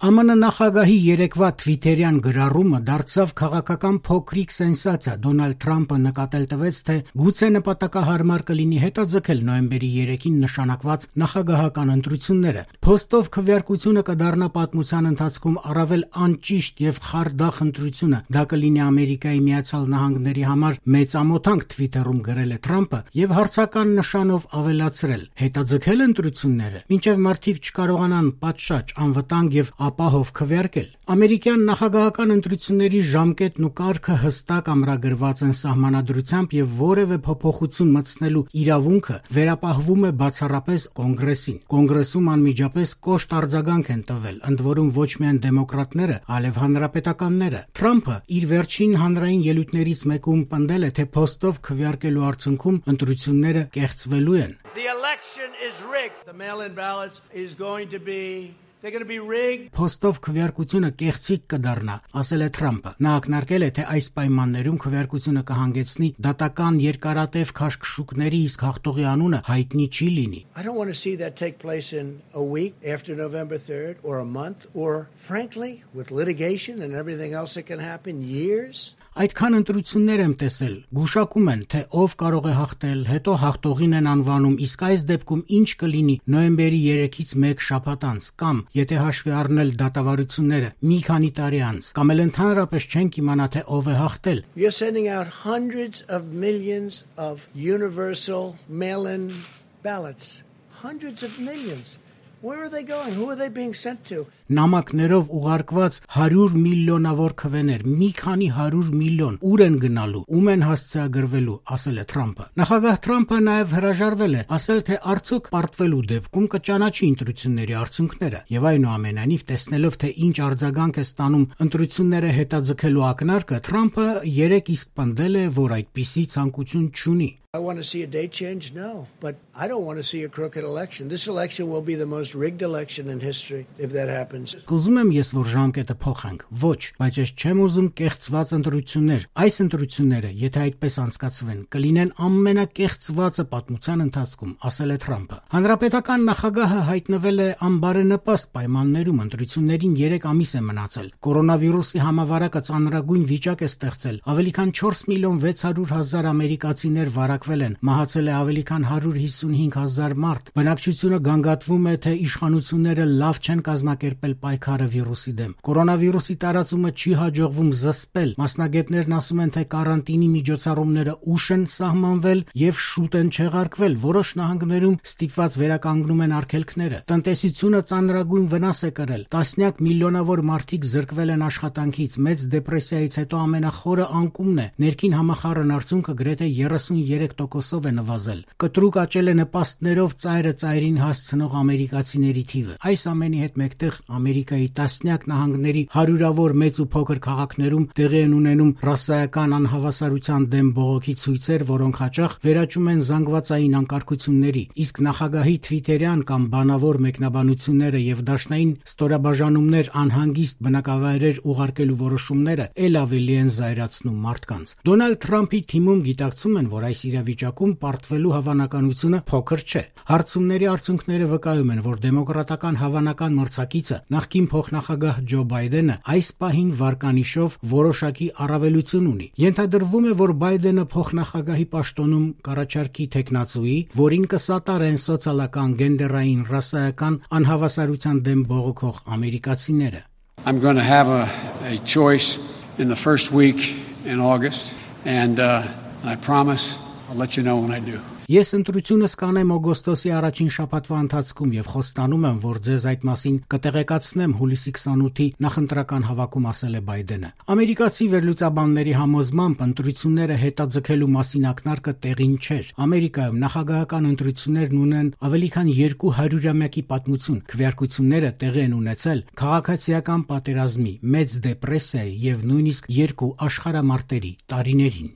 ԱՄՆ նախագահի երեկվա թվիթերյան գրառումը դարձավ քաղաքական փոքրիկ սենսացիա։ Դոնալդ Թրամփը նկատել տվեց, թե գուցե նպատակահարմար կլինի հետաձգել նոյեմբերի 3-ին նշանակված նախագահական ընտրությունները։ Փոստով քվեարկությունը կդառնա պատմության ընթացքում առավել անճիշտ եւ խարդախ ընտրությունը։ Դա կլինի Ամերիկայի Միացյալ Նահանգների համար մեծ ամոթանք, Թվիթերում գրել է Թրամփը եւ հարցական նշանով ավելացրել. հետաձգել ընտրությունները, մինչեւ մարդիկ չկարողանան պատշաճ, անվտանգ եւ ապահով քվեարկել։ Ամերիկյան նախագահական ընտրությունների ժամկետն ու կարգը հստակ ամրագրված են սահմանադրությամբ եւ որևէ փոփոխություն մտցնելու իրավունքը վերապահվում է բացառապես Կոնգրեսին։ Կոնգրեսում անմիջապես կոշտ արձագանք են տվել, ընդ որում ոչ միայն դեմոկրատները, այլև հանրապետականները։ Թրամփը իր վերջին հանրային ելույթներից մեկում պնդել է, թե փոստով քվեարկելու արդյունքում ընտրությունները կեղծվելու են։ The election is rigged. The mail-in ballots is going to be They're going to be rigged. Փոստով քվեարկությունը կեղծիք կդառնա, ասել է Թրամփը։ Նա ակնարկել է, թե այս պայմաններում քվեարկությունը կհանգեցնի դատական երկարատև քաշքշուկների, իսկ հաղթողի անունը հայտնի չի լինի։ I don't want to see that take place in a week after November 3rd or a month or frankly with litigation and everything else that can happen years. Այդքան ընտրություններ եմ տեսել, գուշակում են, թե ով կարող է հաղթել, հետո հաղթողին են անվանում, իսկ այս դեպքում ինչ կլինի նոյեմբերի 3-ից 1 շաբաթ անց, կամ եթե հաշվի առնել դատավարությունները մի քանի տարի անց, կամ էլ ընդհանրապես չենք իմանա, թե ով է հաղթել։ You're sending out hundreds of millions of universal mail-in ballots. Hundreds of millions. Where are they going? Who are they being sent to? Նամակներով ուղարկված 100 միլիոնավոր քվեներ, մի քանի 100 միլիոն, ուր են գնալու, ում են հասցեագրվելու, ասել է Թրամփը։ Նախագահ Թրամփը նաև հրաժարվել է, ասել, թե արդյոք պարտվելու դեպքում կճանաչի ընտրությունների արդյունքները, եւ այնուամենայնիվ տեսնելով, թե ինչ արձագանք է ստանում ընտրությունները հետաձգելու ակնարկը, Թրամփը երեք իսկ պնդել է, որ այդպիսի ցանկություն չունի։ I want to see a date change? No. But I don't want to see a crooked election. This election will be the most rigged election in history if that happens. Ուզում եմ ես, որ ժամկետը փոխենք։ Ոչ, բայց ես չեմ ուզում կեղծված ընտրություններ։ Այս ընտրությունները, եթե այդպես անցկացվեն, կլինեն ամենակեղծվածը պատմության ընթացքում, ասել է Թրամփը։ Հանրապետական նախագահը հայտնվել է անբարենպաստ պայմաններում, ընտրություններին 3 ամիս է մնացել։ Կորոնավիրուսի համավարակը ծանրագույն վիճակ է ստեղծել։ Ավելի քան 4 միլիոն 600 հազար ամերիկացիներ վարակվել են, մահացել է ավելի քան 155 հազար մարդ։ Բնակչությունը գանգատվում է, թե իշխանությունները լավ չեն կազմակերպել պայքարը վիրուսի դեմ։ Կորոնավիրուսի տարածումը չի հաջողվում զսպել։ Մասնագետներն ասում են, թե կարանտինի միջոցառումները ուշ են սահմանվել եւ շուտ են չեղարկվել։ Որոշ նահանգներում ստիպված վերականգնում են արգելքները։ Տնտեսությունը ծանրագույն վնաս է կրել։ Տասնյակ միլիոնավոր մարդիկ զրկվել են աշխատանքից։ Մեծ դեպրեսիայից հետո ամենախորը անկումն է։ Ներքին համախառն արդյունքը գրեթե 33%-ով է նվազել։ Կտրուկ աճել է նպաստներով ծայրը ծայրին հասցնող ամերիկացիների թիվը։ Այս ամենի հետ մեկտեղ Ամերիկայի տասնյակ նահանգների հարյուրավոր մեծ ու փոքր քաղաքներում տեղի են ունենում ռասայական անհավասարության դեմ բողոքի ցույցեր, որոնք հաճախ վերաճում են զանգվածային անկարգությունների, իսկ նախագահի թվիթերյան կամ բանավոր մեկնաբանությունները եւ դաշնային ստորաբաժանումներ անհանգիստ բնակավայրեր ուղարկելու որոշումները ել ավելի են զայրացնում մարդկանց։ Դոնալդ Թրամփի թիմում գիտակցում են, որ այս իրավիճակում պարտվելու հավանականությունը փոքր չէ։ Հարցումների արդյունքները վկայում են, որ դեմոկրատական հավանական մրցակիցը նախկին փոխնախագահ Ջո Բայդենը այս պահին վարկանիշով որոշակի առավելություն ունի։ Ենթադրվում է, որ Բայդենը փոխնախագահի պաշտոնում կառաջարկի տեխնացուի, որին կսատարեն սոցիալական, գենդերային, ռասայական անհավասարության դեմ բողոքող ամերիկացիները։ I'm going to have a choice in the first week in August and I promise I'll let you know when I do. Ես ընտրությունս կանեմ օգոստոսի առաջին շաբաթվա ընթացքում եւ խոստանում եմ, որ ձեզ այդ մասին կտեղեկացնեմ հուլիսի 28-ի նախընտրական հավաքում, ասել է Բայդենը։ Ամերիկացի վերլուծաբանների համոզմամբ ընտրությունները հետաձգելու մասին ակնարկը տեղին չէր։ Ամերիկայում նախագահական ընտրություններն ունեն ավելի քան 200-ամյակի պատմություն։ Քվեարկությունները տեղի են ունեցել քաղաքացիական պատերազմի, մեծ դեպրեսիայի եւ նույնիսկ 2 աշխարհամարտերի տարիներին։